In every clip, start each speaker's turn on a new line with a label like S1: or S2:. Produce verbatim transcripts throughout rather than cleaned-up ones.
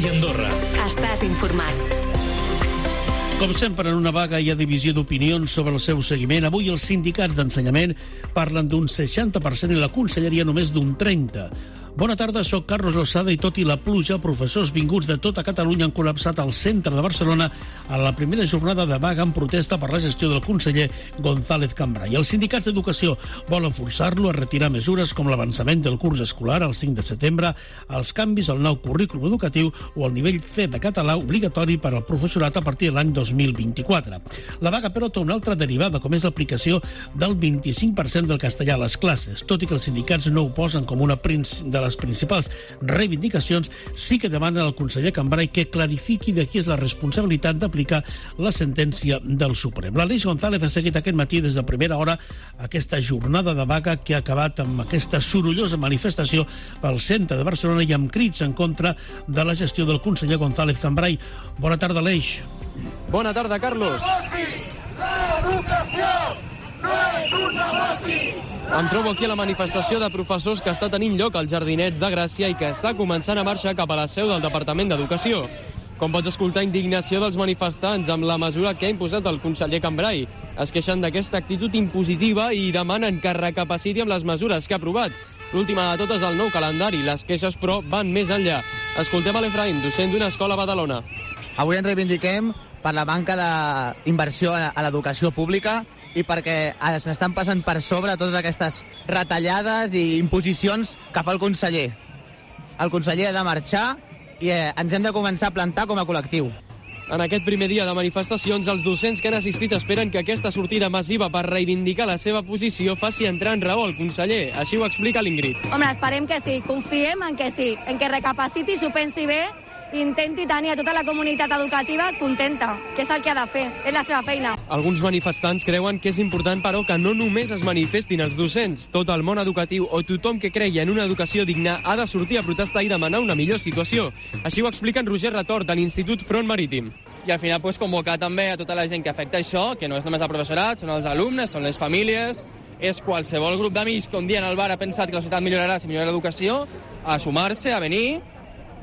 S1: i Andorra.
S2: Estàs informat.
S3: Com sempre, en una vaga hi ha divisió d'opinions sobre el seu seguiment. Avui els sindicats d'ensenyament parlen d'un seixanta per cent i la conselleria només d'un trenta per cent. Bona tarda, soc Carlos Lozada i tot i la pluja, professors vinguts de tota Catalunya han col·lapsat al centre de Barcelona a la primera jornada de vaga en protesta per la gestió del conseller González Cambray. Els sindicats d'educació volen forçar-lo a retirar mesures com l'avançament del curs escolar al cinc de setembre, els canvis al nou currículum educatiu o el nivell C de català obligatori per al professorat a partir de l'any dos mil vint-i-quatre. La vaga, però, té una altra derivada, com és l'aplicació del vint-i-cinc per cent del castellà a les classes. Tot i que els sindicats no ho posen com una de les principals reivindicacions, sí que demanen al conseller Cambray que clarifiqui de qui és la responsabilitat d'aplicar la sentència del Suprem. L'Aleix González ha seguit aquest matí des de primera hora aquesta jornada de vaga que ha acabat amb aquesta sorollosa manifestació pel centre de Barcelona i amb crits en contra de la gestió del conseller González Cambray. Bona tarda, Aleix.
S4: Bona tarda, Carlos.
S5: L'educació no és un negoci!
S4: Em trobo aquí a la manifestació de professors que està tenint lloc als Jardinets de Gràcia i que està començant a marxar cap a la seu del Departament d'Educació. Com pots escoltar, indignació dels manifestants amb la mesura que ha imposat el conseller Cambray. Es queixen d'aquesta actitud impositiva i demanen que recapaciti amb les mesures que ha aprovat. L'última de totes, el nou calendari. Les queixes, però, van més enllà. Escoltem a l'Efraïm, docent d'una escola a Badalona.
S6: Avui ens reivindiquem per la manca d'inversió a l'educació pública i perquè s'estan passant per sobre totes aquestes retallades i imposicions que fa el conseller. El conseller ha de marxar i eh, ens hem de començar a plantar com a col·lectiu.
S4: En aquest primer dia de manifestacions, els docents que han assistit esperen que aquesta sortida massiva per reivindicar la seva posició faci entrar en raó el conseller. Així ho explica l'Ingrid.
S7: Home, esperem que sí, confiem en que sí, en que recapaciti, s'ho pensi bé i intenti tenir a tota la comunitat educativa contenta, que és el que ha de fer, és la seva feina.
S4: Alguns manifestants creuen que és important, però, que no només es manifestin els docents. Tot el món educatiu o tothom que cregui en una educació digna ha de sortir a protestar i demanar una millor situació. Així ho explica en Roger Retort, de l'Institut Front Marítim.
S8: I al final pues, convocar també a tota la gent que afecta això, que no és només el professorat, són els alumnes, són les famílies, és qualsevol grup d'amics que un dia en el bar ha pensat que la societat millorarà si millora l'educació, a sumar-se, a venir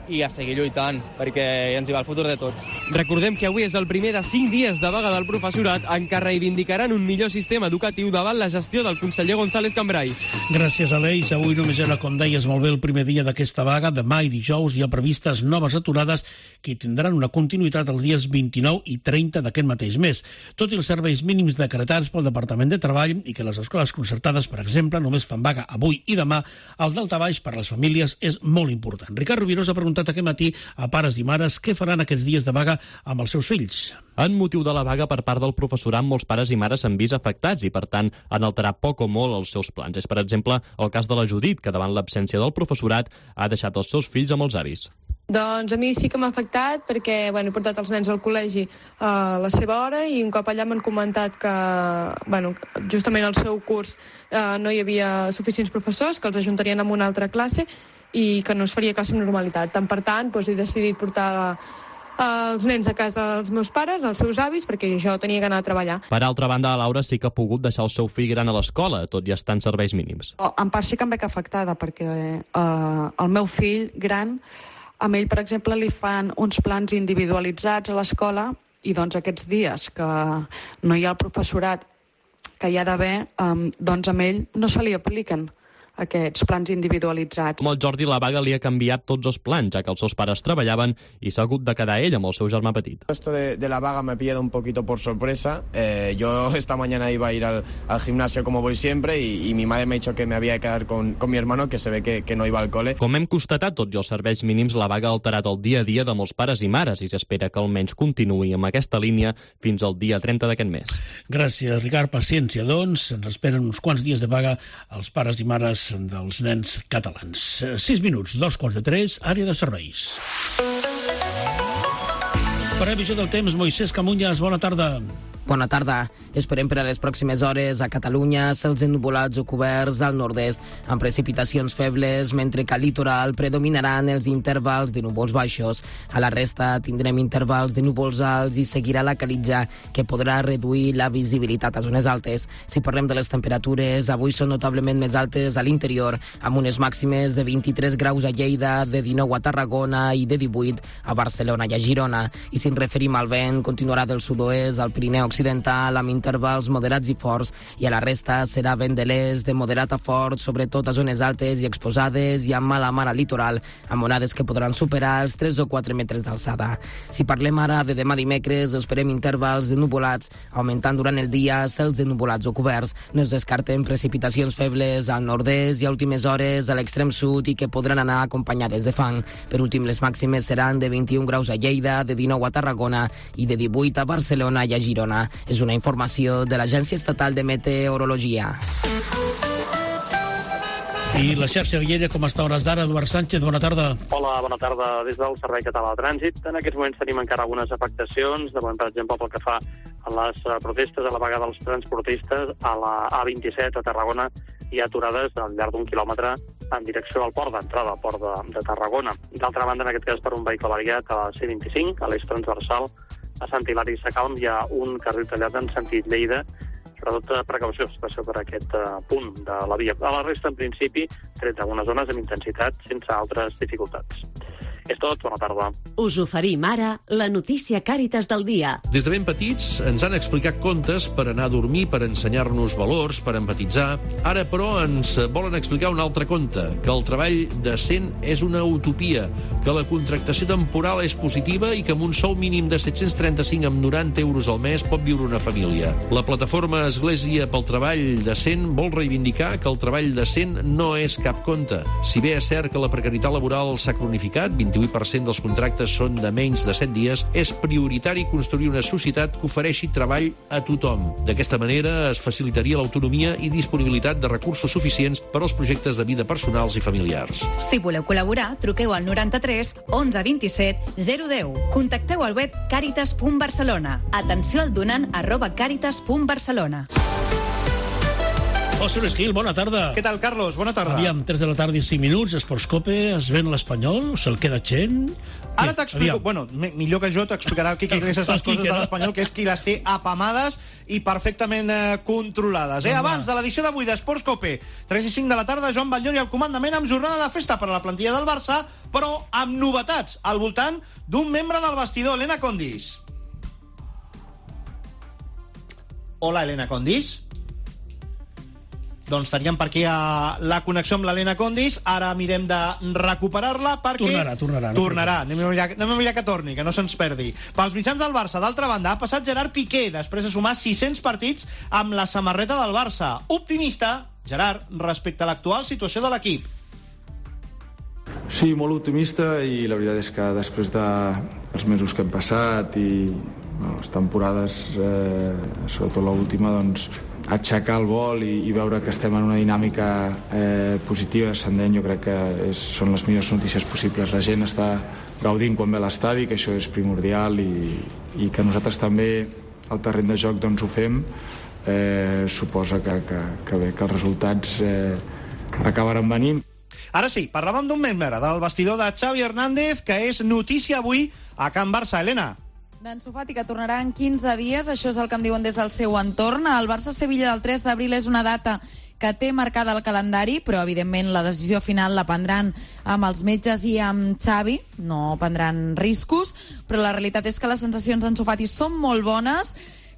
S8: i a seguir lluitant, perquè ens hi va el futur de tots.
S4: Recordem que avui és el primer de cinc dies de vaga del professorat en què reivindicaran un millor sistema educatiu davant la gestió del conseller González Cambray.
S3: Gràcies, Aleix. Avui només era, com deies molt bé, el primer dia d'aquesta vaga. Demà i dijous hi ha previstes noves aturades que tindran una continuïtat els dies vint-i-nou i trenta d'aquest mateix mes. Tot i els serveis mínims decretats pel Departament de Treball i que les escoles concertades, per exemple, només fan vaga avui i demà, el daltabaix per a les famílies és molt important. Ricard Rubirós ha preguntat aquest matí a pares i mares què faran aquests dies de vaga amb els seus fills.
S9: En motiu de la vaga per part del professorat, molts pares i mares s'han vist afectats i, per tant, han alterat poc o molt els seus plans. És, per exemple, el cas de la Judit, que davant l'absència del professorat ha deixat els seus fills amb els avis.
S10: Doncs a mi sí que m'ha afectat perquè bueno, he portat els nens al col·legi a la seva hora i un cop allà m'han comentat que bueno, justament al seu curs eh, no hi havia suficients professors, que els ajuntarien amb una altra classe i que no es faria classe amb normalitat. Tant per tant, doncs, he decidit portar els nens a casa dels meus pares, als seus avis, perquè jo tenia que anar a treballar.
S9: Per altra banda, la Laura sí que ha pogut deixar el seu fill gran a l'escola, tot i estar en serveis mínims.
S11: En part sí que em veig afectada, perquè eh, el meu fill gran, a ell, per exemple, li fan uns plans individualitzats a l'escola i doncs aquests dies que no hi ha el professorat que hi ha d'haver, eh, doncs a ell no se li apliquen aquests plans individualitzats.
S9: Com el Jordi, la vaga li ha canviat tots els plans, ja que els seus pares treballaven i s'ha hagut de quedar ell amb el seu germà petit.
S12: Esto de, de la vaga me ha pillado un poquito por sorpresa. Eh, yo esta mañana iba a ir al, al gimnasio como voy siempre y, y mi madre me ha dicho que me había de quedar con, con mi hermano, que se ve que, que no iba al cole.
S9: Com hem constatat, tot i els serveis mínims, la vaga ha alterat el dia a dia de molts pares i mares i s'espera que almenys continuï amb aquesta línia fins al dia trenta d'aquest mes.
S3: Gràcies, Ricard. Paciència, doncs. Ens esperen uns quants dies de vaga als pares i mares dels nens catalans. Sis minuts, dos quarts de tres, àrea de serveis. Previsió del temps, Moisès Camunyes, bona tarda.
S1: Bona tarda. Esperem per a les pròximes hores a Catalunya cels ennuvolats o coberts al nord-est, amb precipitacions febles, mentre que al litoral predominaran els intervals de núvols baixos. A la resta tindrem intervals de núvols alts i seguirà la calitja, que podrà reduir la visibilitat a zones altes. Si parlem de les temperatures, avui són notablement més altes a l'interior, amb unes màximes de vint-i-tres graus a Lleida, de dinou a Tarragona i de divuit a Barcelona i a Girona. I si ens referim al vent, continuarà del sud-oest al Pirineu occidental amb intervals moderats i forts, i a la resta serà vent de l'est de moderat a fort, sobretot a zones altes i exposades i amb mala mar al litoral, amb onades que podran superar els tres o quatre metres d'alçada. Si parlem ara de demà dimecres, esperem intervals de nuvolats, augmentant durant el dia cels de nuvolats o coberts. No es descarten precipitacions febles al nord-est i a últimes hores a l'extrem sud i que podran anar acompanyades de fang. Per últim, les màximes seran de vint-i-un graus a Lleida, de dinou a Tarragona i de divuit a Barcelona i a Girona. És una informació de l'Agència Estatal de Meteorologia.
S3: I la xarxa viària, com està a hores d'ara? Eduard Sánchez, bona tarda.
S2: Hola, bona tarda des del Servei Català de Trànsit. En aquests moments tenim encara algunes afectacions, de moment, per exemple, pel que fa a les protestes, a la vaga dels transportistes, a la A vint-i-set a Tarragona hi ha aturades al llarg d'un quilòmetre en direcció al port d'entrada, al port de, de Tarragona. D'altra banda, en aquest cas, per un vehicle variat a la C vint-i-cinc, a l'eix transversal, a Sant Hilari Sacalm hi ha un carril tallat en sentit Lleida, sobretot precaució, especial per aquest uh, punt de la via. A la resta, en principi, tret d'algunes zones amb intensitat, sense altres dificultats. És tot, bona tarda.
S13: Us oferim ara la notícia Càritas del dia.
S14: Des de ben petits ens han explicat contes per anar a dormir, per ensenyar-nos valors, per empatitzar. Ara, però, ens volen explicar un altre conte, que el treball decent és una utopia, que la contractació temporal és positiva i que amb un sou mínim de set-cents trenta-cinc amb noranta euros al mes pot viure una família. La plataforma Església pel Treball Decent vol reivindicar que el treball decent no és cap conte. Si bé és cert que la precarietat laboral s'ha cronificat, vint-i-vuit per cent dels contractes són de menys de set dies, és prioritari construir una societat que ofereixi treball a tothom. D'aquesta manera es facilitaria l'autonomia i disponibilitat de recursos suficients per als projectes de vida personals i familiars.
S15: Si voleu col·laborar, truqueu al noranta-tres onze vint-i-set zero deu. Contacteu al web caritas punt barcelona. Atenció al donant arroba caritas punt barcelona.
S3: José Luis Gil, bona tarda.
S16: Què tal, Carlos? Bona tarda.
S3: Aviam, tres de la tarda i cinc minuts, Esportscope, es ven l'Espanyol, se'l queda gent...
S16: Ara t'explico, bueno, millor que jo t'explicarà qui que aquestes coses de l'Espanyol, que és qui les té apamades i perfectament eh, controlades. Eh? Abans de l'edició d'avui d'Esportscope, tres i cinc de la tarda, Joan Batllori al comandament amb jornada de festa per a la plantilla del Barça, però amb novetats al voltant d'un membre del vestidor, Elena Condis. Hola, Elena Condis. Doncs teníem per aquí a la connexió amb l'Helena Condis. Ara mirem de recuperar-la perquè...
S3: Tornarà, tornarà.
S16: No tornarà. Anem a, mirar, anem a mirar que torni, que no se'ns perdi. Pels mitjans del Barça, d'altra banda, ha passat Gerard Piqué després de sumar sis-cents partits amb la samarreta del Barça. Optimista, Gerard, respecte a l'actual situació de l'equip.
S17: Sí, molt optimista, i la veritat és que després dels mesos que hem passat i bueno, les temporades, eh, sobretot l'última, doncs aixecar el vol i, i veure que estem en una dinàmica eh, positiva, ascendent, jo crec que és, són les millors notícies possibles. La gent està gaudint quan ve a l'estadi, que això és primordial, i, i que nosaltres també al terreny de joc doncs, ho fem, eh, suposa que, que, que, bé, que els resultats eh, acabaran venint.
S16: Ara sí, parlàvem d'un membre del vestidor de Xavi Hernández, que és notícia avui a Can Barça. Helena.
S18: D'Ansu Fati, que tornarà en quinze dies, això és el que em diuen des del seu entorn. El Barça-Sevilla del tres d'abril és una data que té marcada el calendari, però evidentment la decisió final la prendran amb els metges i amb Xavi, no prendran riscos, però la realitat és que les sensacions d'Ansu Fati són molt bones.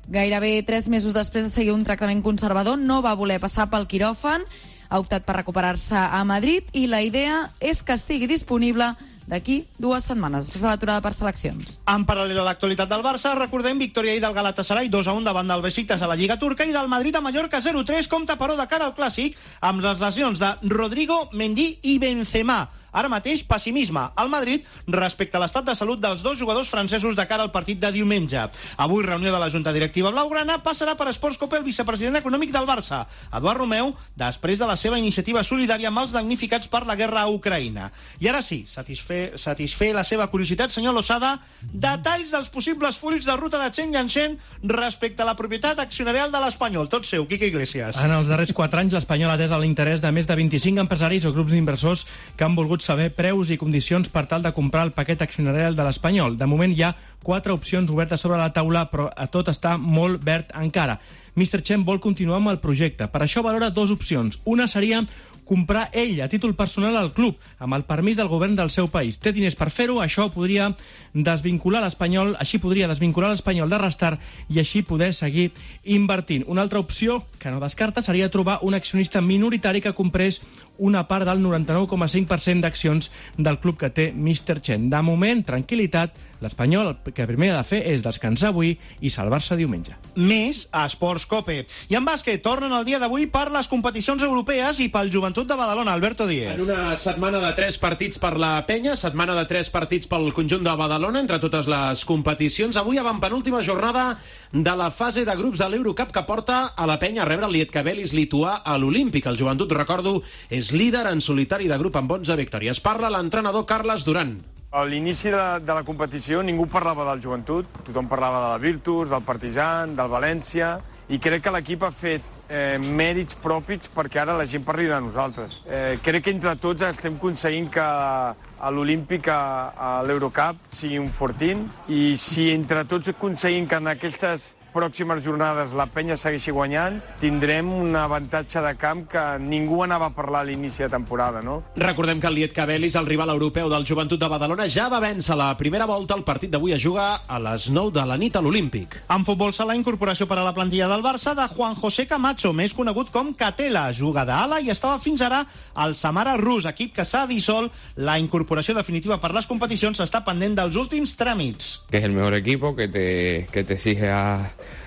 S18: Gairebé tres mesos després de seguir un tractament conservador no va voler passar pel quiròfan, ha optat per recuperar-se a Madrid i la idea és que estigui disponible d'aquí dues setmanes, després de l'aturada per seleccions.
S16: En paral·lel a l'actualitat del Barça, recordem victòria ahir del Galatasaray dos a un davant del Besiktas a la Lliga Turca i del Madrid a Mallorca zero tres, compta però de cara al Clàssic amb les lesions de Rodrigo, Mendy i Benzema. Ara mateix, pessimisme al Madrid respecte a l'estat de salut dels dos jugadors francesos de cara al partit de diumenge. Avui, reunió de la Junta Directiva Blaugrana, passarà per Sports Cope el vicepresident econòmic del Barça, Eduard Romeu, després de la seva iniciativa solidària amb els damnificats per la guerra a Ucraïna. I ara sí, satisfer, satisfer la seva curiositat, senyor Losada, detalls dels possibles fulls de ruta de Chen Yanchen respecte a la propietat accionarial de l'Espanyol. Tot seu, Quique Iglesias.
S19: En els darrers quatre anys, l'Espanyol ha atès l'interès de més de vint-i-cinc empresaris o grups d'inversors que han volgut saber preus i condicions per tal de comprar el paquet accionarial de l'Espanyol. De moment hi ha quatre opcions obertes sobre la taula, però a tot està molt verd encara. mister Chen vol continuar amb el projecte. Per això valora dues opcions. Una seria comprar ell a títol personal al club, amb el permís del govern del seu país. Té diners per fer-ho, això podria desvincular l'Espanyol, així podria desvincular l'Espanyol de Restart i així poder seguir invertint. Una altra opció que no descarta seria trobar un accionista minoritari que comprés una part del noranta-nou coma cinc per cent d'accions del club que té mister Chen. De moment, tranquil·litat, l'Espanyol el que primer ha de fer és descansar avui i salvar-se diumenge.
S16: Més a Sports Cope. I en bàsquet tornen el dia d'avui per les competicions europees i pel Joventut de Badalona, Alberto Díez.
S20: En una setmana de tres partits per la penya, setmana de tres partits pel conjunt de Badalona, entre totes les competicions. Avui avantpenúltima jornada de la fase de grups de l'Eurocup que porta a la penya a rebre el Lietkabelis lituà a l'Olímpic. El Joventut, recordo, és líder en solitari de grup amb onze victòries. Parla l'entrenador Carles Duran.
S21: A l'inici de, de la competició ningú parlava del Joventut, tothom parlava de la Virtus, del Partizan, del València, i crec que l'equip ha fet eh, mèrits propis perquè ara la gent parli de nosaltres. Eh, crec que entre tots estem aconseguint que a l'Olímpic, a, a l'Eurocup, sigui un fortín, i si entre tots aconseguim que en aquestes pròximes jornades la penya segueixi guanyant, tindrem un avantatge de camp que ningú anava a parlar a l'inici de temporada, no?
S20: Recordem que el Lietkabelis, el rival europeu del Joventut de Badalona, ja va vèncer la primera volta. El partit d'avui es juga a les nou de la nit a l'Olímpic.
S16: En futbol sala, incorporació per a la plantilla del Barça de Juan José Camacho, més conegut com Catela. Juga d'ala i estava fins ara al Samara Rus, equip que s'ha dissolt. La incorporació definitiva per les competicions està pendent dels últims tràmits.
S22: Que és el millor equipo, que te, que te exige a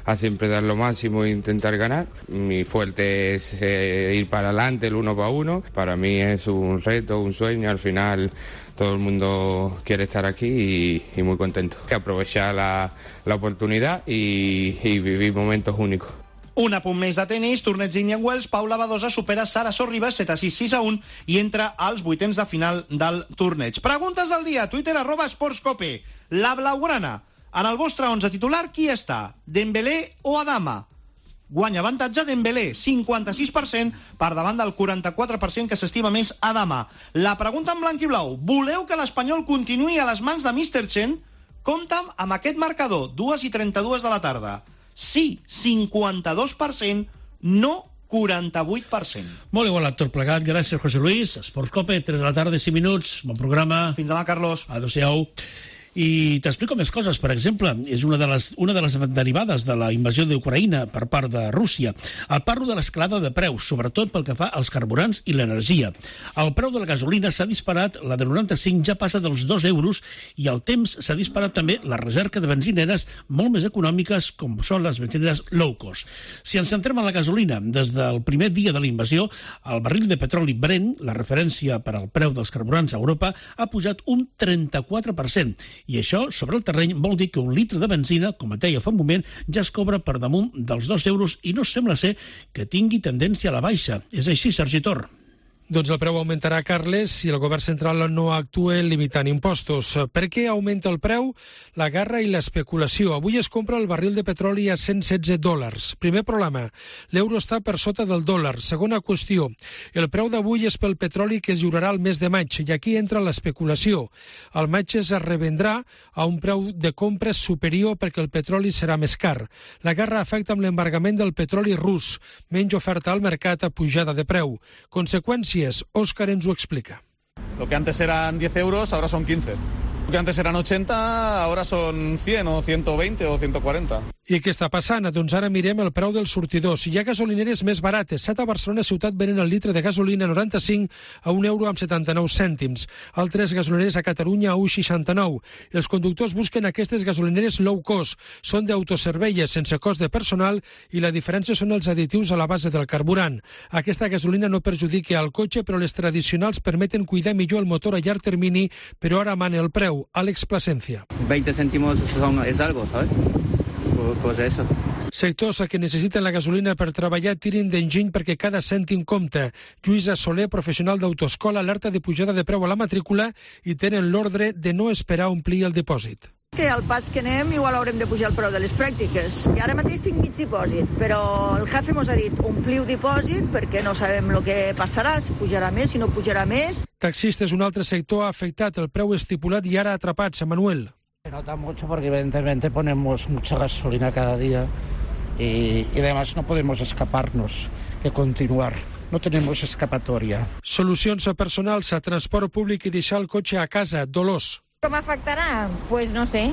S22: a siempre dar lo máximo e intentar ganar. Mi fuerte es eh, ir para adelante, el uno para uno. Para mí es un reto, un sueño. Al final todo el mundo quiere estar aquí y, y muy contento. Aprovechar la, la oportunidad y, y vivir momentos únicos.
S16: Un apunt més de tenis, torneig d'Indian Wells, Paula Badosa supera Sara Sorribas set a sis, sis a un i entra als vuitens de final del torneig. Preguntes del dia, Twitter, arroba esportscope. La blaugrana. En el vostre onze titular, qui està? Dembélé o Adama? Guanya avantatge Dembélé, cinquanta-sis per cent per davant del quaranta-quatre per cent que s'estima més Adama. La pregunta en blanc i blau. Voleu que l'Espanyol continuï a les mans de mister Chen? Compta'm amb aquest marcador, dues i trenta-dues de la tarda. Sí, cinquanta-dos per cent, no quaranta-vuit per cent.
S3: Molt igualat tot plegat. Gràcies, José Luis. Esports Cope, tres de la tarda, cinc minuts. Bon programa.
S16: Fins demà, Carlos.
S3: Adéu-siau. I t'explico més coses. Per exemple, és una de les, una de les derivades de la invasió d'Ucraïna per part de Rússia. El parlo de l'escalada de preus, sobretot pel que fa als carburants i l'energia. El preu de la gasolina s'ha disparat, la de noranta-cinc ja passa dels dos euros i al temps s'ha disparat també la recerca de benzineres molt més econòmiques com són les benzineres low cost. Si ens centrem en la gasolina, des del primer dia de la invasió, el barril de petroli Brent, la referència per al preu dels carburants a Europa, ha pujat un trenta-quatre per cent. I això, sobre el terreny, vol dir que un litre de benzina, com et deia fa un moment, ja es cobra per damunt dels dos euros i no sembla ser que tingui tendència a la baixa. És així, Sergi Tor.
S23: Doncs el preu augmentarà, Carles, si el govern central no actua limitant impostos. Per què augmenta el preu? La guerra i l'especulació. Avui es compra el barril de petroli a cent setze dòlars. Primer problema, l'euro està per sota del dòlar. Segona qüestió, el preu d'avui és pel petroli que es lliurarà el mes de maig, i aquí entra l'especulació. Al maig es revendrà a un preu de compres superior perquè el petroli serà més car. La guerra afecta amb l'embargament del petroli rus. Menys oferta al mercat a pujada de preu. Conseqüències, Òscar ens ho explica.
S24: Lo que antes eran diez euros, ahora son quince. Lo que antes eran ochenta, ahora son cien o ciento veinte o ciento cuarenta.
S23: I què està passant? Doncs ara mirem el preu dels sortidors. Hi ha gasolineres més barates. Set a Barcelona ciutat venen el litre de gasolina noranta-cinc a un euro amb setanta-nou cèntims. Altres gasolineres a Catalunya a un coma seixanta-nou. Els conductors busquen aquestes gasolineres low cost. Són d'autoserveies sense cost de personal i la diferència són els additius a la base del carburant. Aquesta gasolina no perjudica al cotxe, però les tradicionals permeten cuidar millor el motor a llarg termini, però ara mana el preu. Àlex Plasencia.
S5: veinte céntimos son, es algo, ¿sabes? Pues eso.
S23: Sectors que necessiten la gasolina per treballar tirin d'enginy perquè cada cèntim compta. Lluïsa Soler, professional d'autoescola, alerta de pujada de preu a la matrícula i tenen l'ordre de no esperar omplir el dipòsit.
S6: Que al pas que anem igual haurem de pujar el preu de les pràctiques. I ara mateix tinc mig dipòsit, però el jefe mos ha dit ompliu dipòsit perquè no sabem el que passarà, si pujarà més, si no pujarà més.
S23: Taxistes, un altre sector ha afectat el preu estipulat i ara atrapats. Manuel.
S7: Se nota mucho porque evidentemente ponemos mucha gasolina cada día y, y además no podemos escaparnos de continuar. No tenemos escapatoria.
S23: Solucions a personals, a transport públic i deixar el cotxe a casa. Dolors.
S8: Com afectarà? Pues no sé,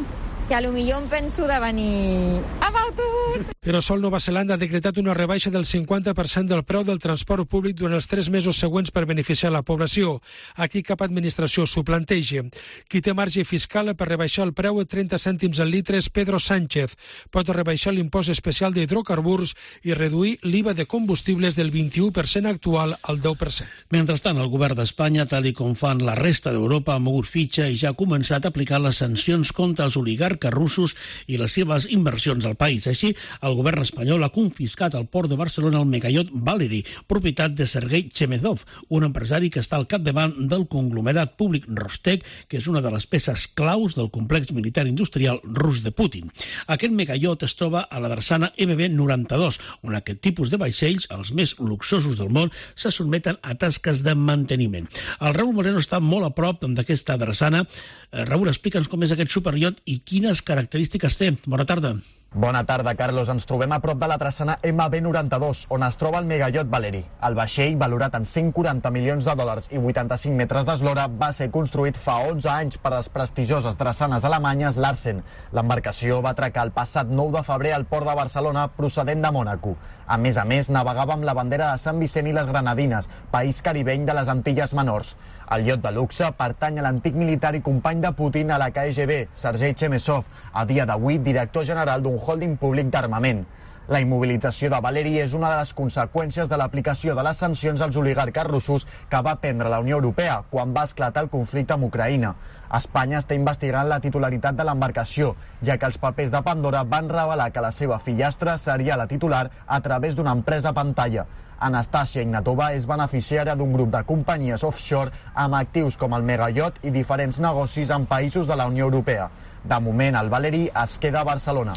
S8: que a lo millor em penso de venir amb autobús.
S23: Però Sol Nova Zelanda ha decretat una rebaixa del cinquanta per cent del preu del transport públic durant els tres mesos següents per beneficiar la població. Aquí cap administració s'ho planteja. Qui té marge fiscal per rebaixar el preu a trenta cèntims al litre és Pedro Sánchez. Pot rebaixar l'impost especial d'hidrocarburs i reduir l'I V A de combustibles del vint-i-u per cent actual al deu per cent.
S3: Mentrestant, el govern d'Espanya, tal i com fan la resta d'Europa, ha mogut fitxa i ja ha començat a aplicar les sancions contra els oligarques russos i les seves inversions al país. Així, el govern espanyol ha confiscat al port de Barcelona el megaiot Valery, propietat de Sergei Chemezov, un empresari que està al capdavant del conglomerat públic Rostec, que és una de les peces claus del complex militar industrial rus de Putin. Aquest megaiot es troba a la drassana M B noranta-dos, on aquest tipus de vaixells, els més luxosos del món, se sotmeten a tasques de manteniment. El Raúl Moreno està molt a prop d'aquesta drassana. Raúl, explica'ns com és aquest superiot i quines característiques té. Bona tarda.
S25: Bona tarda, Carlos. Ens trobem a prop de la drassana M B noranta-dos, on es troba el megaiot Valery. El vaixell, valorat en cent quaranta milions de dòlars i vuitanta-cinc metres d'eslora, va ser construït fa onze anys per les prestigioses drassanes alemanyes Larsen. L'embarcació va atracar el passat nou de febrer al port de Barcelona, procedent de Mònaco. A més a més, navegava amb la bandera de Sant Vicent i les Granadines, país caribeny de les Antilles Menors. El iot de luxe pertany a l'antic militar i company de Putin a la K G B, Sergei Chemezov, a dia d'avui director general d'un holding públic d'armament. La immobilització de Valery és una de les conseqüències de l'aplicació de les sancions als oligarques russos que va prendre la Unió Europea quan va esclatar el conflicte amb Ucraïna. Espanya està investigant la titularitat de l'embarcació, ja que els papers de Pandora van revelar que la seva fillastra seria la titular a través d'una empresa pantalla. Anastasia Ignatova és beneficiària d'un grup de companyies offshore amb actius com el megaiot i diferents negocis en països de la Unió Europea. De moment, el Valery es queda a Barcelona.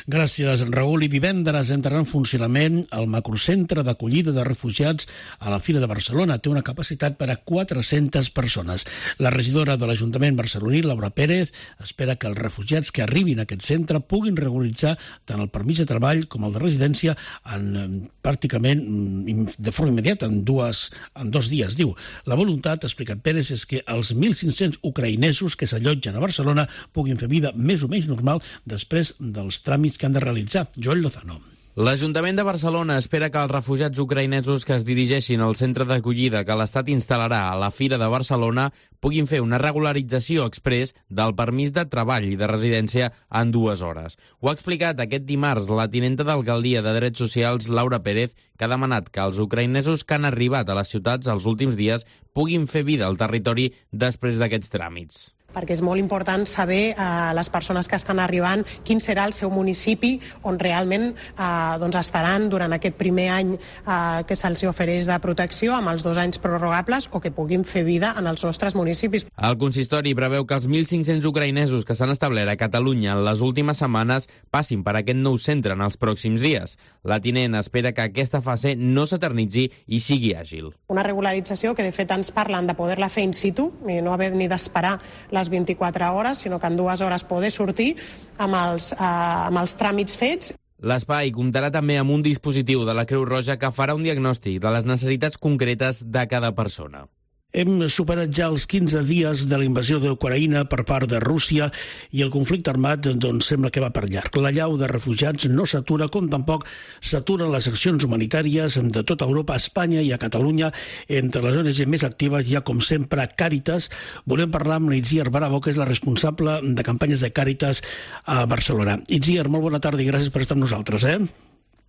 S3: Gràcies, Raül. I divendres entrarà en funcionament el macrocentre d'acollida de refugiats a la Fira de Barcelona. Té una capacitat per a quatre-centes persones. La regidora de l'Ajuntament barceloní, Laura Pérez, espera que els refugiats que arribin a aquest centre puguin regularitzar tant el permís de treball com el de residència en, pràcticament de forma immediata, en, dues, en dos dies, diu. La voluntat, ha explicat Pérez, és que els mil cinc-cents ucraïnesos que s'allotgen a Barcelona puguin fer vida més o menys normal després dels tràmits que han de realitzar. Joel Lozano.
S26: L'Ajuntament de Barcelona espera que els refugiats ucraïnesos que es dirigeixin al centre d'acollida que l'Estat instal·larà a la Fira de Barcelona puguin fer una regularització exprés del permís de treball i de residència en dues hores. Ho ha explicat aquest dimarts la tinenta d'Alcaldia de Drets Socials, Laura Pérez, que ha demanat que els ucraïnesos que han arribat a les ciutats els últims dies puguin fer vida al territori després d'aquests tràmits.
S27: Perquè és molt important saber a eh, les persones que estan arribant quin serà el seu municipi on realment eh, doncs estaran durant aquest primer any eh, que se'ls ofereix de protecció amb els dos anys prorrogables o que puguin fer vida en els nostres municipis.
S26: El consistori preveu que els mil cinc-cents ucraïnesos que s'han establert a Catalunya en les últimes setmanes passin per aquest nou centre en els pròxims dies. La tinent espera que aquesta fase no s'eternitzi i sigui àgil.
S27: Una regularització que de fet ens parlen de poder-la fer in situ i no haver ni d'esperar les vint-i-quatre hores, sinó que en dues hores poder sortir amb els, eh, amb els tràmits fets.
S26: L'espai comptarà també amb un dispositiu de la Creu Roja que farà un diagnòstic de les necessitats concretes de cada persona.
S3: Hem superat ja els quinze dies de la invasió d'Ucraïna per part de Rússia i el conflicte armat doncs, sembla que va per llarg. La llau de refugiats no s'atura, com tampoc s'aturen les accions humanitàries de tota Europa, a Espanya i a Catalunya. Entre les O N G més actives hi ha, com sempre, Càritas. Volem parlar amb l'Itziar Bravo, que és la responsable de campanyes de Càritas a Barcelona. Itziar, molt bona tarda i gràcies per estar amb nosaltres. Eh?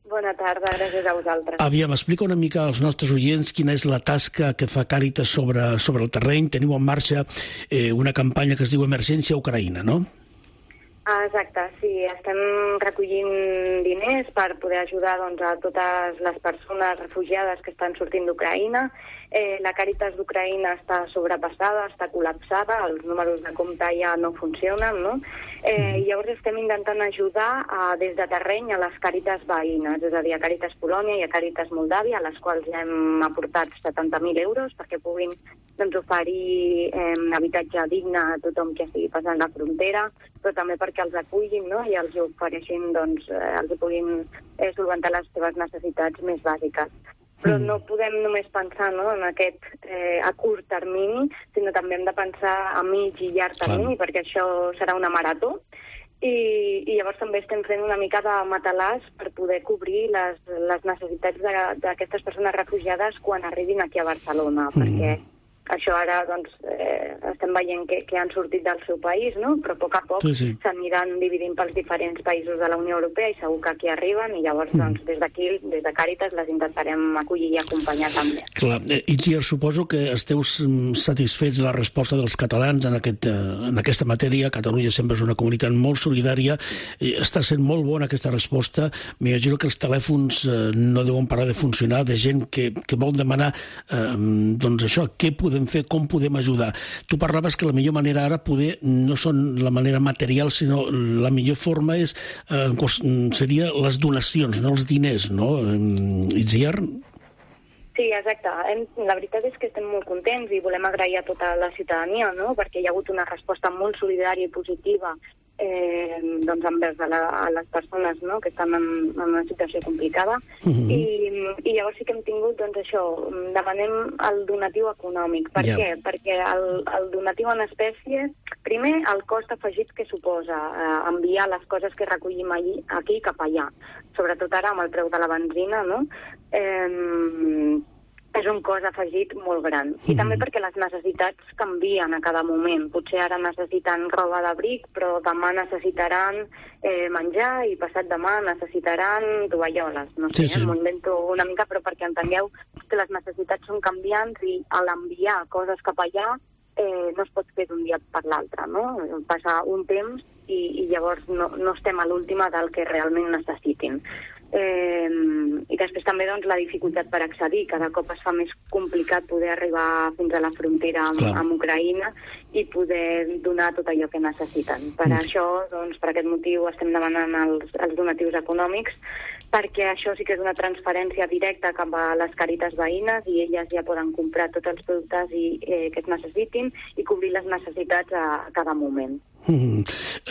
S1: Bona tarda, gràcies a vosaltres.
S3: Aviam, explica una mica als nostres oients quina és la tasca que fa Càritas sobre, sobre el terreny. Teniu en marxa eh, una campanya que es diu Emergència Ucraïna, no?
S1: Ah, exacte, sí. Estem recollint diners per poder ajudar doncs, a totes les persones refugiades que estan sortint d'Ucraïna. Eh, la Càritas d'Ucraïna està sobrepassada, està col·lapsada, els números de compte ja no funcionen, no? Eh, llavors estem intentant ajudar a, des de terreny a les Càritas veïnes, és a dir, a Càritas Polònia i a Càritas Moldàvia, a les quals ja hem aportat setanta mil euros perquè puguin doncs, oferir eh, habitatge digne a tothom que estigui passant la frontera, però també perquè els acullin, no? I els ofereixin, doncs, eh, els puguin eh, solventar les seves necessitats més bàsiques. Però no podem només pensar, no, en aquest eh, a curt termini, sinó també hem de pensar a mig i llarg termini, Clar. perquè això serà una marató. I, i llavors també estem fent una mica de matalàs per poder cobrir les, les necessitats d'aquestes persones refugiades quan arribin aquí a Barcelona, mm. perquè això ara doncs, eh, estem veient que, que han sortit del seu país, no? Però a poc a poc sí, sí. s'aniran dividint pels diferents països de la Unió Europea i segur que aquí arriben i llavors mm. doncs, des d'aquí, des de Càritas, les intentarem acollir i acompanyar també.
S3: Clar, Itziar, suposo que esteu satisfets de la resposta dels catalans en, aquest, en aquesta matèria. Catalunya sempre és una comunitat molt solidària, està sent molt bona aquesta resposta. M'imagino que els telèfons eh, no deuen parar de funcionar, de gent que, que vol demanar eh, doncs això, què podem fer, com podem ajudar. Tu parlaves que la millor manera ara poder no són la manera material, sinó la millor forma és eh, seria les donacions, no els diners, no? Itziar?
S1: Sí, exacte. La veritat és que estem molt contents i volem agrair a tota la ciutadania, no? Perquè hi ha hagut una resposta molt solidària i positiva eh, doncs envers a, la, a les persones, no? Que estan en, en una situació complicada. Mm-hmm. I, I llavors sí que hem tingut, doncs això, demanem el donatiu econòmic. Per yeah. què? Perquè el, el donatiu en espècie, primer, el cost afegit que suposa eh, enviar les coses que recollim allí, aquí cap allà. Sobretot ara amb el preu de la benzina, no? Eh, és un cost afegit molt gran. I mm. també perquè les necessitats canvien a cada moment. Potser ara necessiten roba d'abric, però demà necessitaran eh, menjar i passat demà necessitaran tovalloles. No sé, sí, sí. m'ho invento una mica, però perquè entengueu que les necessitats són canviants i a l'enviar coses cap allà eh, no es pot fer d'un dia per l'altre, no? Passa un temps i, i llavors no, no estem a l'última del que realment necessitin. Eh, i després també doncs, la dificultat per accedir, cada cop es fa més complicat poder arribar fins a la frontera amb, amb Ucraïna i poder donar tot allò que necessiten. Per mm. això, doncs, per aquest motiu estem demanant els, els donatius econòmics, perquè això sí que és una transferència directa cap a les Càritas veïnes i elles ja poden comprar tots els productes i, eh, que es necessitin i cobrir les necessitats a cada moment.
S3: Mm.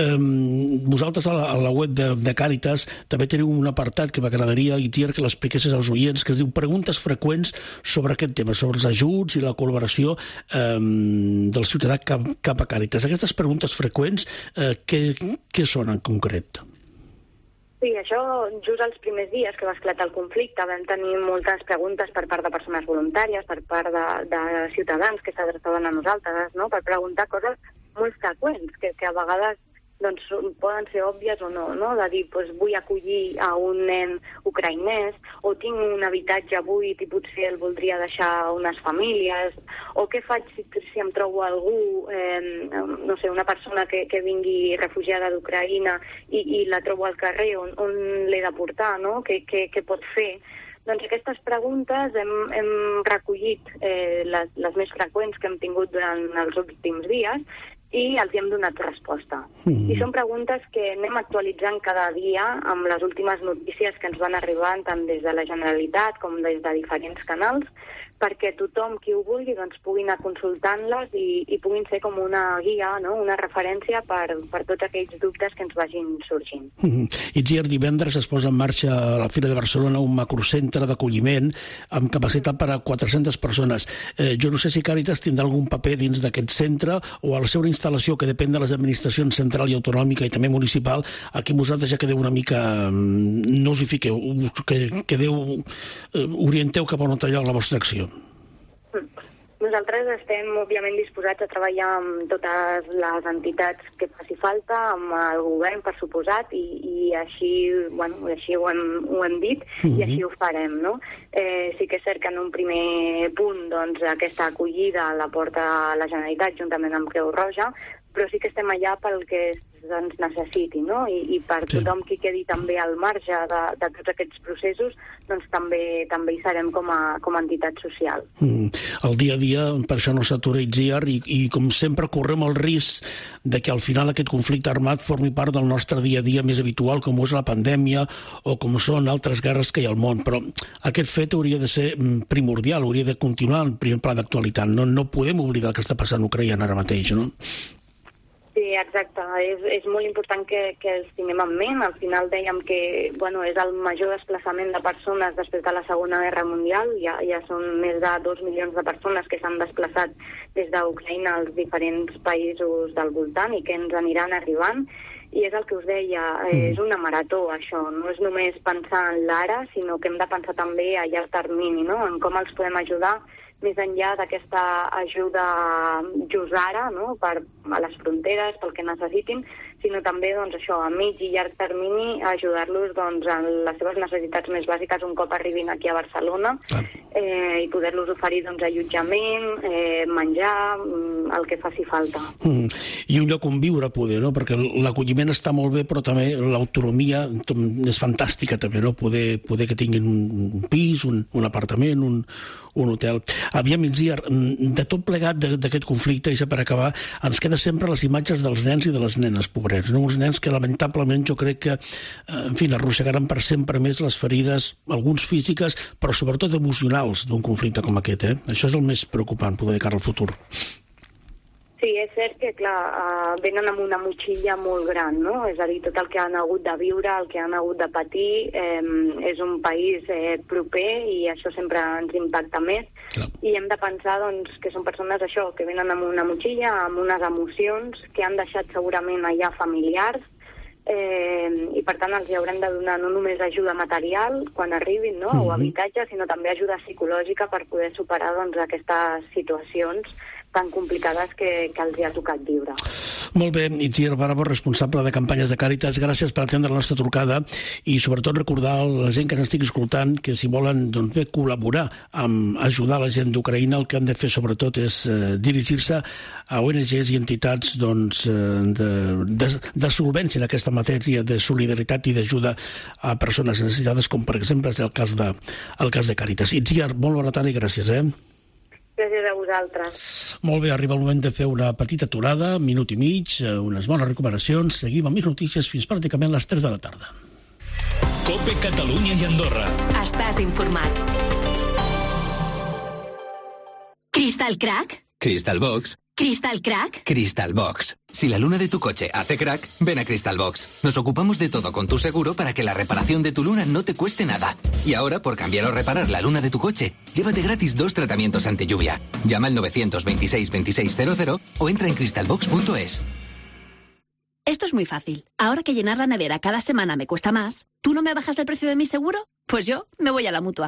S3: Um, vosaltres a la, a la web de, de Càritas també teniu un apartat que m'agradaria, Itziar, que l'expliquessis als oients, que es diu preguntes freqüents sobre aquest tema, sobre els ajuts i la col·laboració um, del ciutadà cap, cap a Càritas. Aquestes preguntes freqüents, uh, què, què són en concret?
S1: Sí, això just els primers dies que va esclatar el conflicte vam tenir moltes preguntes per part de persones voluntàries, per part de, de ciutadans que s'adreçaven a nosaltres, no? Per preguntar coses molt freqüents, que, que a vegades doncs, poden ser òbvies o no, no? De dir, doncs, vull acollir a un nen ucraïnès, o tinc un habitatge buit i potser el voldria deixar a unes famílies, o què faig si, si em trobo algú, eh, no sé, una persona que, que vingui refugiada d'Ucraïna i, i la trobo al carrer, on, on l'he de portar, no? Què, què, què pot fer? Doncs aquestes preguntes hem, hem recollit eh, les, les més freqüents que hem tingut durant els últims dies i els hi hem donat resposta. Mm. I són preguntes que anem actualitzant cada dia amb les últimes notícies que ens van arribant tant des de la Generalitat com des de diferents canals perquè tothom qui ho vulgui doncs, pugui anar consultant-les i, i puguin ser com una guia, no? Una referència per, per tots aquells dubtes que ens vagin sorgint.
S3: Mm-hmm. Itziar, divendres es posa en marxa a la Fira de Barcelona un macrocentre d'acolliment amb capacitat per a quatre-centes persones. Eh, jo no sé si Càritas tindrà algun paper dins d'aquest centre o a la seva instal·lació, que depèn de les administracions central i autonòmica i també municipal, aquí vosaltres ja quedeu una mica... no us hi fiqueu, que quedeu... orienteu cap a un altre lloc la vostra acció.
S1: Nosaltres estem, òbviament, disposats a treballar amb totes les entitats que faci falta, amb el govern, per suposat, i, i així, bueno, així ho hem, ho hem dit, mm-hmm. i així ho farem, no? Eh, sí que és cert que en un primer punt, doncs, aquesta acollida la porta la Generalitat juntament amb Creu Roja, però sí que estem allà pel que ens necessiti, no? I, i per sí. tothom qui quedi també al marge de, de tots aquests processos, doncs també també hi serem com a, com a entitat social.
S3: Mm. El dia a dia, per això no s'atura Itziar, i, i com sempre correm el risc de que al final aquest conflicte armat formi part del nostre dia a dia més habitual, com és la pandèmia o com són altres guerres que hi ha al món, però aquest fet hauria de ser primordial, hauria de continuar en primer pla d'actualitat. No, no podem oblidar el que està passant a Ucraïna ara mateix, no?
S1: Sí, exacte. És, és molt important que, que els tinguem en ment. Al final dèiem que bueno, és el major desplaçament de persones després de la Segona Guerra Mundial. Ja, ja són més de dos milions de persones que s'han desplaçat des d'Ucraïna als diferents països del voltant i que ens aniran arribant. I és el que us deia, és una marató, això. No és només pensar en l'ara, sinó que hem de pensar també a llarg termini, no? En com els podem ajudar més enllà d'aquesta ajuda just ara, no? Per a les fronteres, pel que necessitin, sinó també doncs, això, a mig i llarg termini, ajudar-los doncs, en les seves necessitats més bàsiques un cop arribin aquí a Barcelona eh, i poder-los oferir doncs, allotjament, eh, menjar, el que faci falta.
S3: Mm. I un lloc on viure, poder, no? Perquè l'acolliment està molt bé, però també l'autonomia és fantàstica, també, no? Poder, poder que tinguin un pis, un, un apartament, un, un hotel. Aviam, Itziar, de tot plegat d'aquest conflicte, i per acabar, ens queden sempre les imatges dels nens i de les nenes, pobrets, no? Uns nens que lamentablement jo crec que, en fi, arrossegaran per sempre més les ferides, alguns físiques, però sobretot emocionals d'un conflicte com aquest, eh? Això és el més preocupant, poder de cara al futur.
S1: Sí, és cert que, clar, uh, venen amb una motxilla molt gran, no? És a dir, tot el que han hagut de viure, el que han hagut de patir, eh, és un país eh, proper i això sempre ens impacta més. Clar. I hem de pensar, doncs, que són persones, això, que venen amb una motxilla, amb unes emocions que han deixat segurament allà familiars, eh, i per tant els hi haurem de donar no només ajuda material quan arribin, no? Mm-hmm. O habitatge, sinó també ajuda psicològica per poder superar doncs, aquestes situacions tan complicades que, que els hi ha tocat viure.
S3: Molt bé, Itziar Bravo, responsable de campanyes de Càritas, gràcies per atendre la nostra trucada i sobretot recordar a la gent que ens estigui escoltant que si volen doncs, bé, col·laborar amb ajudar la gent d'Ucraïna, el que han de fer sobretot és eh, dirigir-se a O N Ges i entitats doncs, de, de, de solvència en aquesta matèria de solidaritat i d'ajuda a persones necessitades, com per exemple és el cas de, el cas de Càritas. Itziar, molt bona tarda i gràcies, eh?
S1: Gràcies a vosaltres.
S3: Molt bé, arriba el moment de fer una petita aturada, minut i mig, unes bones recomanacions. Seguim amb més notícies fins pràcticament les tres de la tarda.
S2: COPE Catalunya i Andorra.
S4: Estàs informat. Crystal Crack.
S9: Crystal Box.
S4: Crystal Crack.
S9: Crystal Box. Si la luna de tu coche hace crack, ven a Crystal Box. Nos ocupamos de todo con tu seguro para que la reparación de tu luna no te cueste nada. Y ahora, por cambiar o reparar la luna de tu coche, llévate gratis dos tratamientos ante lluvia. Llama al nueve dos seis, veintiséis cero cero o entra en crystal box punto es.
S4: Esto es muy fácil. Ahora que llenar la nevera cada semana me cuesta más, ¿tú no me bajas el precio de mi seguro? Pues yo me voy a la Mutua.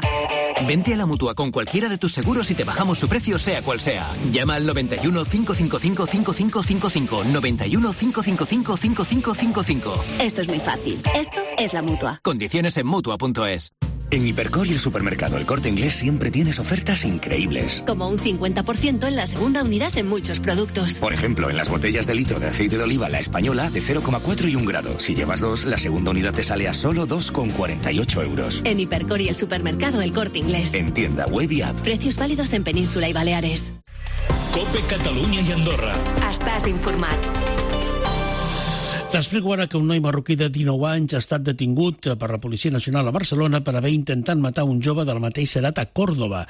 S9: Vente a la Mutua con cualquiera de tus seguros y te bajamos su precio sea cual sea. Llama al noventa y uno, cinco cinco cinco, cinco cinco cinco cinco, noventa y uno, cinco cinco cinco, cinco cinco cinco cinco.
S4: Esto es muy fácil. Esto es la Mutua.
S9: Condiciones en Mutua punto es.
S10: En Hipercor y el supermercado El Corte Inglés siempre tienes ofertas increíbles.
S4: Como un cincuenta por ciento en la segunda unidad en muchos productos.
S10: Por ejemplo, en las botellas de litro de aceite de oliva La Española de cero coma cuatro y un grado. Si llevas dos, la segunda unidad te sale a solo dos coma cuarenta y ocho euros.
S4: En Hipercor y el supermercado El Corte Inglés.
S10: En tienda, web y app.
S4: Precios válidos en Península y Baleares.
S2: COPE Catalunya i Andorra.
S4: Estàs informat.
S3: T'explico ara que un noi marroquí de dinou anys ha estat detingut per la Policia Nacional a Barcelona per haver intentat matar un jove de la mateixa edat a Còrdova.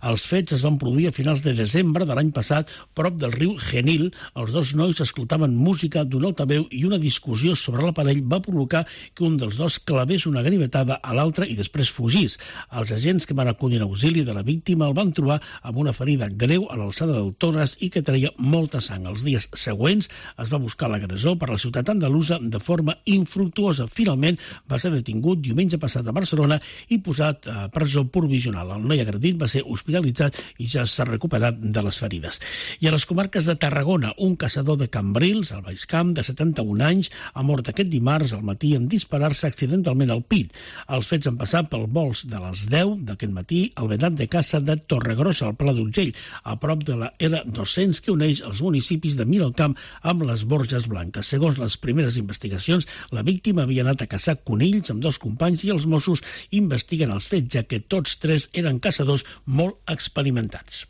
S3: Els fets es van produir a finals de desembre de l'any passat, prop del riu Genil. Els dos nois escoltaven música d'un altaveu i una discussió sobre l'aparell va provocar que un dels dos clavés una ganivetada a l'altre i després fugís. Els agents que van acudir en auxili de la víctima el van trobar amb una ferida greu a l'alçada del tòrax i que treia molta sang. Els dies següents es va buscar l'agressor per la ciutat andalusa de forma infructuosa. Finalment va ser detingut diumenge passat a Barcelona i posat a presó provisional. El noi agredit va ser hospitalitzat i ja s'ha recuperat de les ferides. I a les comarques de Tarragona, un caçador de Cambrils, al Baix Camp, de setanta-un anys, ha mort aquest dimarts al matí en disparar-se accidentalment al pit. Els fets han passat pel vols de les deu d'aquest matí al vedat de caça de Torregrossa, al Pla d'Urgell, a prop de la L dos-cents que uneix els municipis de Miralcamp amb les Borges Blanques. Segons les primeres investigacions, la víctima havia anat a caçar conills amb dos companys i els Mossos investiguen els fets, ja que tots tres eren caçadors molt experimentats.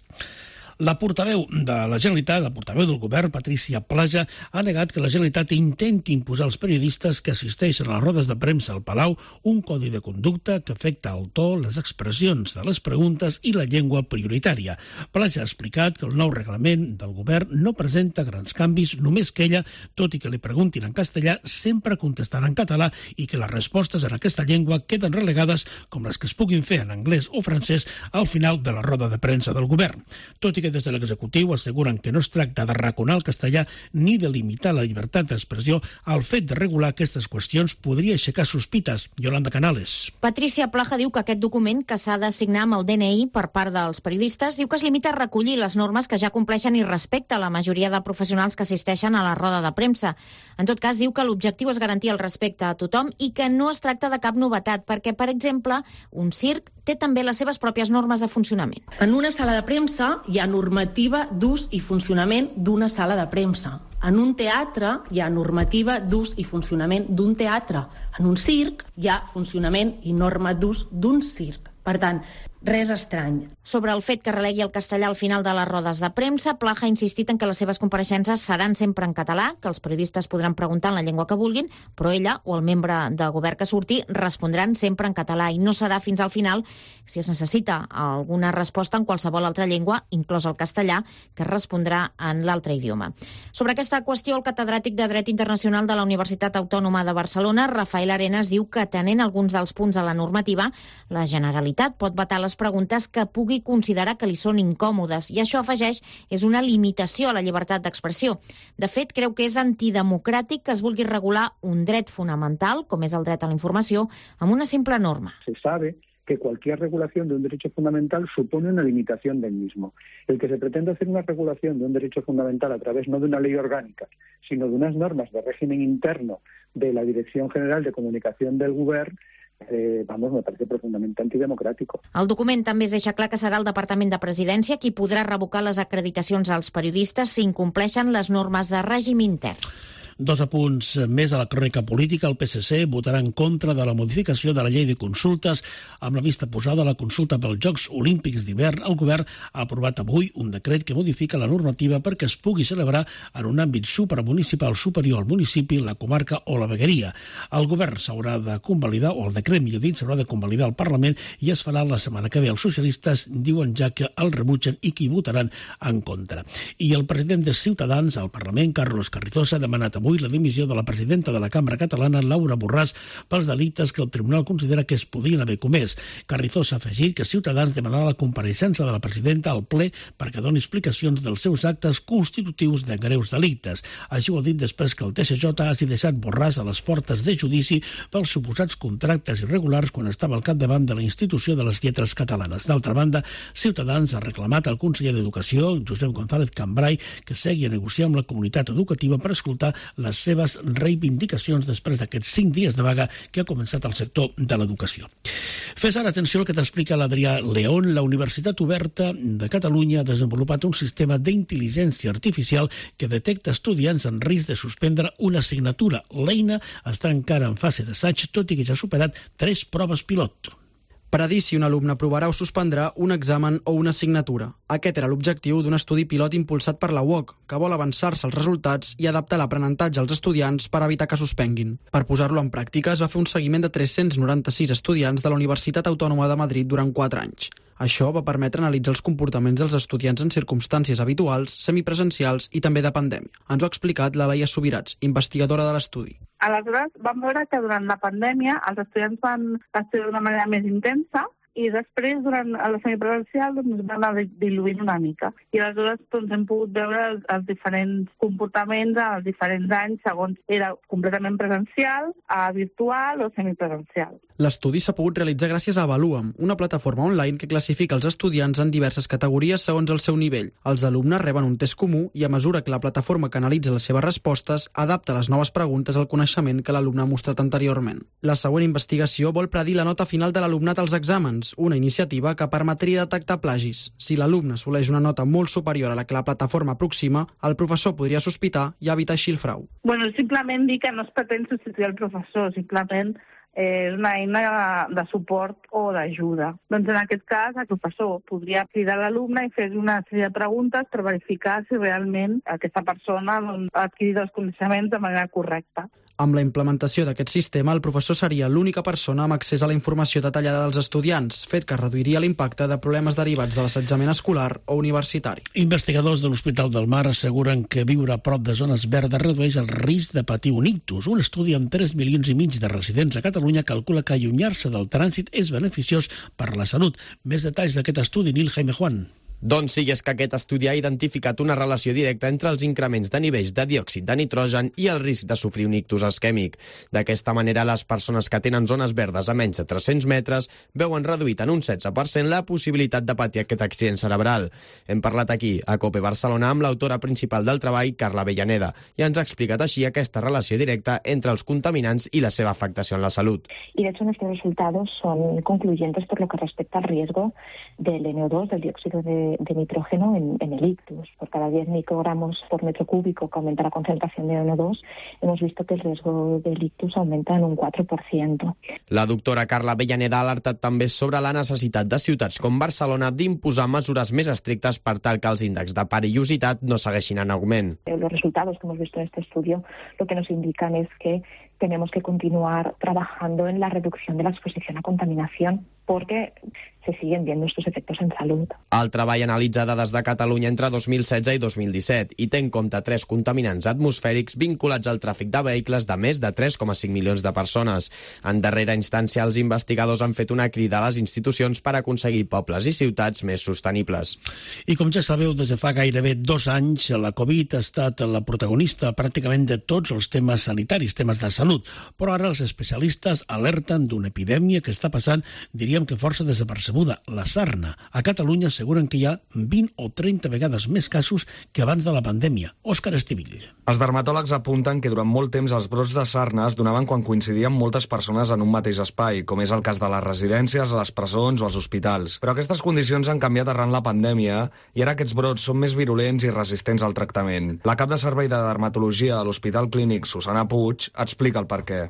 S3: La portaveu de la Generalitat, la portaveu del govern, Patrícia Plaja, ha negat que la Generalitat intenti imposar als periodistes que assisteixen a les rodes de premsa al Palau un codi de conducta que afecta el to, les expressions de les preguntes i la llengua prioritària. Plaja ha explicat que el nou reglament del govern no presenta grans canvis, només que ella, tot i que li preguntin en castellà, sempre contestarà en català i que les respostes en aquesta llengua queden relegades, com les que es puguin fer en anglès o francès, al final de la roda de premsa del govern. Tot i que des de l'executiu asseguren que no es tracta d'arraconar el castellà ni de limitar la llibertat d'expressió, el fet de regular aquestes qüestions podria aixecar sospites. Yolanda Canales.
S11: Patricia Plaja diu que aquest document, que s'ha de signar amb el D N I per part dels periodistes, diu que es limita a recollir les normes que ja compleixen i respecta la majoria de professionals que assisteixen a la roda de premsa. En tot cas, diu que l'objectiu és garantir el respecte a tothom i que no es tracta de cap novetat, perquè, per exemple, un circ té també les seves pròpies normes de funcionament.
S12: En una sala de premsa hi ha normativa d'ús i funcionament d'una sala de premsa. En un teatre hi ha normativa d'ús i funcionament d'un teatre. En un circ hi ha funcionament i norma d'ús d'un circ. Per tant, res estrany.
S11: Sobre el fet que relegui el castellà al final de les rodes de premsa, Plaja ha insistit en que les seves compareixences seran sempre en català, que els periodistes podran preguntar en la llengua que vulguin, però ella o el membre de govern que surti respondran sempre en català i no serà fins al final si es necessita alguna resposta en qualsevol altra llengua, inclòs el castellà, que respondrà en l'altre idioma. Sobre aquesta qüestió, el catedràtic de Dret Internacional de la Universitat Autònoma de Barcelona, Rafael Arenas, diu que atenent alguns dels punts de la normativa, la Generalitat pot vetar les preguntes que pugui considerar que li són incòmodes i això, afegeix, és una limitació a la llibertat d'expressió. De fet, creu que és antidemocràtic que es vulgui regular un dret fonamental, com és el dret a la informació, amb una simple norma.
S13: Se sabe que cualquier regulación de un derecho fundamental supone una limitación del mismo. El que se pretende hacer una regulación de un derecho fundamental a través no de una ley orgánica, sino de unas normas de régimen interno de la Dirección General de Comunicación del Govern, Eh, vamos, me parece profundamente antidemocrático.
S11: El document també es deixa clar que serà el Departament de Presidència qui podrà revocar les acreditacions als periodistes si incompleixen les normes de règim intern.
S3: Dos apunts més a la crònica política. El P S C votarà en contra de la modificació de la llei de consultes amb la vista posada a la consulta pels Jocs Olímpics d'hivern. El govern ha aprovat avui un decret que modifica la normativa perquè es pugui celebrar en un àmbit supramunicipal superior al municipi, la comarca o la vegueria. El govern s'haurà de convalidar, o el decret, millor dit, s'haurà de convalidar al Parlament i es farà la setmana que ve. Els socialistes diuen ja que el rebutgen i que hi votaran en contra. I el president de Ciutadans al Parlament, Carlos Carrizosa, ha demanat avui la dimissió de la presidenta de la Cambra Catalana, Laura Borràs, pels delictes que el Tribunal considera que es podien haver comès. Carrizosa ha afegit que Ciutadans demanarà la compareixença de la presidenta al ple perquè doni explicacions dels seus actes constitutius de greus delictes. Així ho ha dit després que el T S J hagi deixat Borràs a les portes de judici pels suposats contractes irregulars quan estava al capdavant de la institució de les lletres catalanes. D'altra banda, Ciutadans ha reclamat al conseller d'Educació, Josep González Cambray, que segui a negociar amb la comunitat educativa per escoltar les seves reivindicacions després d'aquests cinc dies de vaga que ha començat el sector de l'educació. Fes ara atenció al que t'explica l'Adrià León. La Universitat Oberta de Catalunya ha desenvolupat un sistema d'intel·ligència artificial que detecta estudiants en risc de suspendre una assignatura. L'eina està encara en fase d'assaig, tot i que ja ha superat tres proves pilot.
S14: predir si un alumne aprovarà o suspendrà un examen o una assignatura. Aquest era l'objectiu d'un estudi pilot impulsat per la U O C, que vol avançar-se als resultats i adaptar l'aprenentatge als estudiants per evitar que suspenguin. Per posar-lo en pràctica, es va fer un seguiment de tres-cents noranta-sis estudiants de la Universitat Autònoma de Madrid durant quatre anys. Això va permetre analitzar els comportaments dels estudiants en circumstàncies habituals, semipresencials i també de pandèmia. Ens ho ha explicat la Laia Subirats, investigadora de l'estudi.
S15: Aleshores, vam veure que durant la pandèmia els estudiants van estudiar d'una manera més intensa i després, durant la semipresencial, doncs, van anar diluint una mica. I aleshores doncs, hem pogut veure els, els diferents comportaments als diferents anys, segons era completament presencial, a virtual o semipresencial.
S14: L'estudi s'ha pogut realitzar gràcies a Avalua'm, una plataforma online que classifica els estudiants en diverses categories segons el seu nivell. Els alumnes reben un test comú i, a mesura que la plataforma que analitza les seves respostes, adapta les noves preguntes al coneixement que l'alumne ha mostrat anteriorment. La següent investigació vol predir la nota final de l'alumnat als exàmens, una iniciativa que permetria detectar plagis. Si l'alumne assoleix una nota molt superior a la que la plataforma aproxima, el professor podria sospitar i evitar així el frau.
S15: Bueno, simplement dir que no es pretén substituir el professor, simplement és una eina de suport o d'ajuda. Doncs en aquest cas, el professor podria cridar l'alumne i fer una sèrie de preguntes per verificar si realment aquesta persona doncs, ha adquirit els coneixements de manera correcta.
S14: Amb la implementació d'aquest sistema, el professor seria l'única persona amb accés a la informació detallada dels estudiants, fet que reduiria l'impacte de problemes derivats de l'assetjament escolar o universitari.
S3: Investigadors de l'Hospital del Mar asseguren que viure a prop de zones verdes redueix el risc de patir un ictus. Un estudi amb tres milions i mig de residents a Catalunya calcula que allunyar-se del trànsit és beneficiós per la salut. Més detalls d'aquest estudi, Nil Jaime Juan.
S17: Doncs sí, és que aquest estudi ha identificat una relació directa entre els increments de nivells de diòxid de nitrogen i el risc de sofrir un ictus isquèmic. D'aquesta manera, les persones que tenen zones verdes a menys de tres-cents metres veuen reduït en un setze per cent la possibilitat de patir aquest accident cerebral. Hem parlat aquí, a COPE Barcelona, amb l'autora principal del treball, Carla Avellaneda, i ens ha explicat així aquesta relació directa entre els contaminants y la seva afectación en la salud.
S18: Y de hecho nuestros resultados son concluyentes por lo que respecta al riesgo del N O dos, del dióxido de de nitrógeno en, en el ictus. Por cada diez microgramos por metro cúbico que aumenta la concentración de N O dos, hemos visto que el riesgo del ictus aumenta en un quatre per cent.
S17: La doctora Carla Avellaneda ha alertat també sobre la necessitat de ciutats com Barcelona d'imposar mesures més estrictes per tal que els índexs de perillositat no segueixin en augment.
S18: Los resultados que hemos visto en este estudio lo que nos indican es que tenemos que continuar trabajando en la reducción de la exposición a contaminación porque se siguen viendo estos efectos en salud.
S17: El treball analitza dades de Catalunya entre dos mil setze i dos mil disset i té en compte tres contaminants atmosfèrics vinculats al tràfic de vehicles de més de tres coma cinc milions de persones. En darrera instància, els investigadors han fet una crida a les institucions per aconseguir pobles i ciutats més sostenibles.
S3: I com ja sabeu, des de fa gairebé dos anys, la Covid ha estat la protagonista pràcticament de tots els temes sanitaris, temes de salut. Però ara els especialistes alerten d'una epidèmia que està passant, diríem que força desapercebuda, la sarna. A Catalunya asseguren que hi ha vint o trenta vegades més casos que abans de la pandèmia. Òscar Estivill.
S19: Els dermatòlegs apunten que durant molt temps els brots de sarna es donaven quan coincidien moltes persones en un mateix espai, com és el cas de les residències, les presons o els hospitals. Però aquestes condicions han canviat arran la pandèmia i ara aquests brots són més virulents i resistents al tractament. La cap de servei de dermatologia de l'Hospital Clínic, Susana Puig, explica el perquè.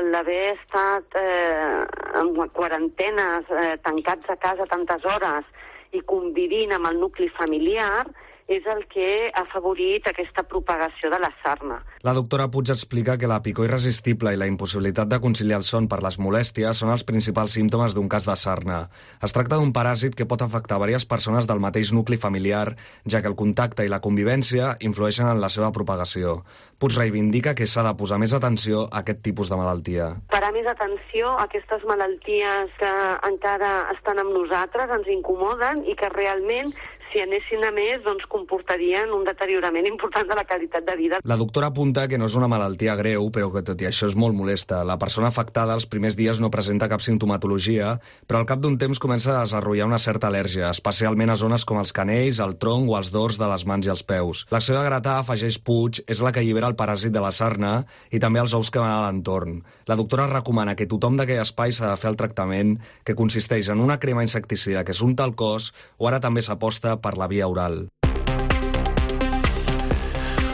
S20: L'haver estat eh, en quarantenes, eh, tancats a casa tantes hores i convivint amb el nucli familiar és el que ha afavorit aquesta propagació de la sarna.
S19: La doctora Puig explica que la picor irresistible i la impossibilitat de conciliar el son per les molèsties són els principals símptomes d'un cas de sarna. Es tracta d'un paràsit que pot afectar diverses persones del mateix nucli familiar, ja que el contacte i la convivència influeixen en la seva propagació. Puig reivindica que s'ha de posar més atenció a aquest tipus de malaltia.
S20: Parar més atenció a aquestes malalties que encara estan amb nosaltres, ens incomoden i que realment si anessin a més, doncs comportarien un deteriorament important de la qualitat de vida.
S19: La doctora apunta que no és una malaltia greu, però que tot i això és molt molesta. La persona afectada els primers dies no presenta cap simptomatologia, però al cap d'un temps comença a desenvolupar una certa al·lèrgia, especialment a zones com els canells, el tronc o els dors de les mans i els peus. L'acció de gratar, afegeix Puig, és la que allibera el paràsit de la sarna i també els ous que van a l'entorn. La doctora recomana que tothom d'aquell espai s'ha de fer el tractament, que consisteix en una crema insecticida que s'unta al cos o ara també s'aposta per la via oral.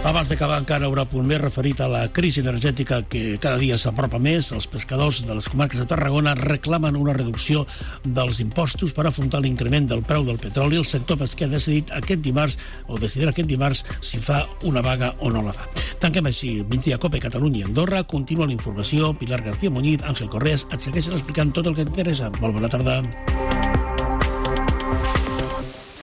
S3: Abans d'acabar, encara haurà punt més referit a la crisi energètica que cada dia s'apropa més. Els pescadors de les comarques de Tarragona reclamen una reducció dels impostos per afrontar l'increment del preu del petroli. El sector pesquer ha decidit aquest dimarts, o decidirà aquest dimarts, si fa una vaga o no la fa. Tanquem així el migdia Cope Catalunya i Andorra. Continua la informació. Pilar García Muñiz, Àngel Correas et segueixen explicant tot el que t'interessa. Molt bona tarda.